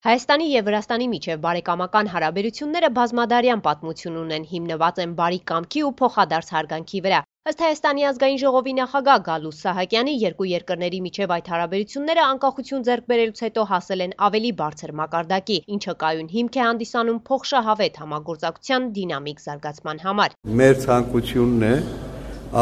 Հայաստանի և Վրաստանի միջև բարեկամական հարաբերությունները բազմադարյան պատմություն ունեն, հիմնված են բարի կամքի ու փոխադարձ հարգանքի վրա։ Ըստ Հայաստանի ազգային ժողովի նախագահ Գալուստ Սահակյանի, երկու երկրների միջև այդ հարաբերությունները անկախություն ձեռք բերելուց հետո հասել են ավելի բարձր մակարդակի, ինչը կայուն հիմք է հանդիսանում փոխշահավետ համագործակցության դինամիկ զարգացման համար։ Մեր ցանկությունն է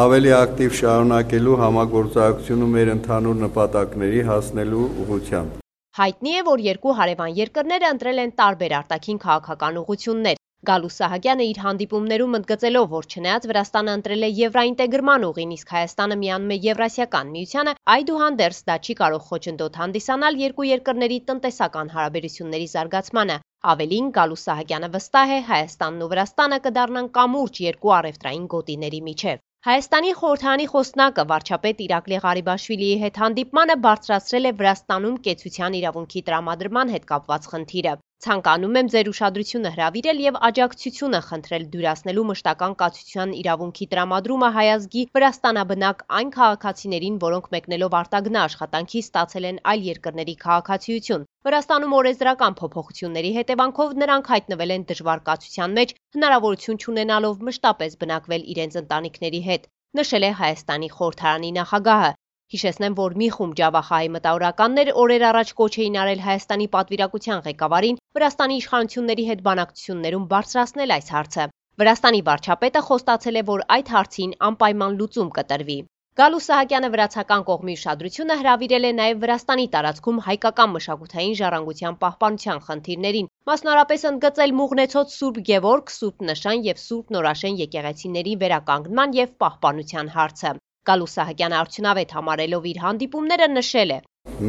ավելի ակտիվ շարունակելու համագործակցությունը մեր ընդհանուր նպատակների հասնելու ուղղությամբ։ Հայտնի է, որ երկու հարևան երկրները ընտրել են տարբեր արտաքին քաղաքական ուղղություններ։ Գալուստ Սահակյանը իր հանդիպումներում ընդգծելով, որ չնայած Վրաստանը ընտրել է եվրաինտեգրման ուղին, իսկ Հայաստանը միանում է Եվրասիական միությանը, այդուհանդերձ դա չի կարող խոչընդոտ հանդիսանալ երկու երկրների տնտեսական հարաբերությունների զարգացմանը։ Ավելին, Գալուստ Սահակյանը վստահ է, Հայաստանն ու Վրաստանը կդառնան կամուրջ երկու առևտրային գոտիների միջև։ Հայաստանի խորհրդարանի խոսնակը վարչապետ Իրակլի Ղարիբաշվիլիի հետ հանդիպմանը բարձրացրել է Վրաստանում կեցության իրավունքի տրամադրման հետ կապված խնդիրը։ Ցանկանում եմ ձեր ուշադրությունը հրավիրել և աջակցությունը խնդրել դյուրացնելու մշտական կացության իրավունքի տրամադրումը հայ ազգի վրաստանաբնակ այն քաղաքացիներին, որոնք մեկնելով արտագնա աշխատանքի ստացել են այլ երկրների քաղաքացիություն։ Վրաստանում օրենսդրական փոփոխությունների հետևանքով նրանք հայտնվել են դժվար կացության մեջ, հնարավորություն չունենալով մշտապես բնակվել իրենց ընտանիքների հետ, նշել է Հայաստանի խորհրդարանի նախագահը։ Հիշեցնեմ, որ մի խումբ ջավախահայ մտավորականներ օրեր առաջ կոչ էին արել Հայաստանի պատվիրակության ղեկավարին Վրաստանի իշխանությունների հետ բանակցություններում բարձրացնել այս հարցը։ Վրաստանի վարչապետը խոստացել է, որ այդ հարցին անպայման լուծում կտրվի։ Գալուստ Սահակյանը վրացական կողմի ուշադրությունը հրավիրել է նաև Վրաստանի տարածքում հայկական մշակութային ժառանգության պահպանության խնդիրներին, մասնավորապես ընդգծել Մուղնեցոտ Սուրբ Գևորգ, Սուրբ Նշան և Սուրբ Նորաշեն եկեղեցիների վերականգնման և պահպանության հարցը։ Գալուստ Սահակյանը արդյունավետ համարելով իր հանդիպումները նշել է.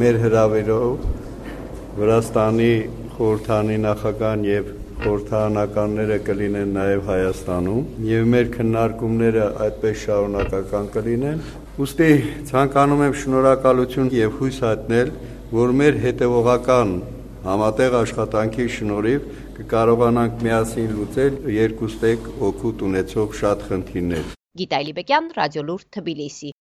Մեր հրավերով Վրաստանի խորհրդարանի նախագահան և խորհրդարանականները կլինեն նաև Հայաստանում և մեր քննարկումները այդպես շարունակական կլինեն։ Ուստի ցանկանում եմ շնորհակալություն և հույս հայտնել, որ մեր հետևողական համատեղ աշխատանքի շնորհիվ կկարողանանք միասին լուծել երկուստեք օգուտ ունեցող շատ խնդիրներ։ Գիտայ Լիբեկյան, Ռադիոլուրդ, Թբիլիսի։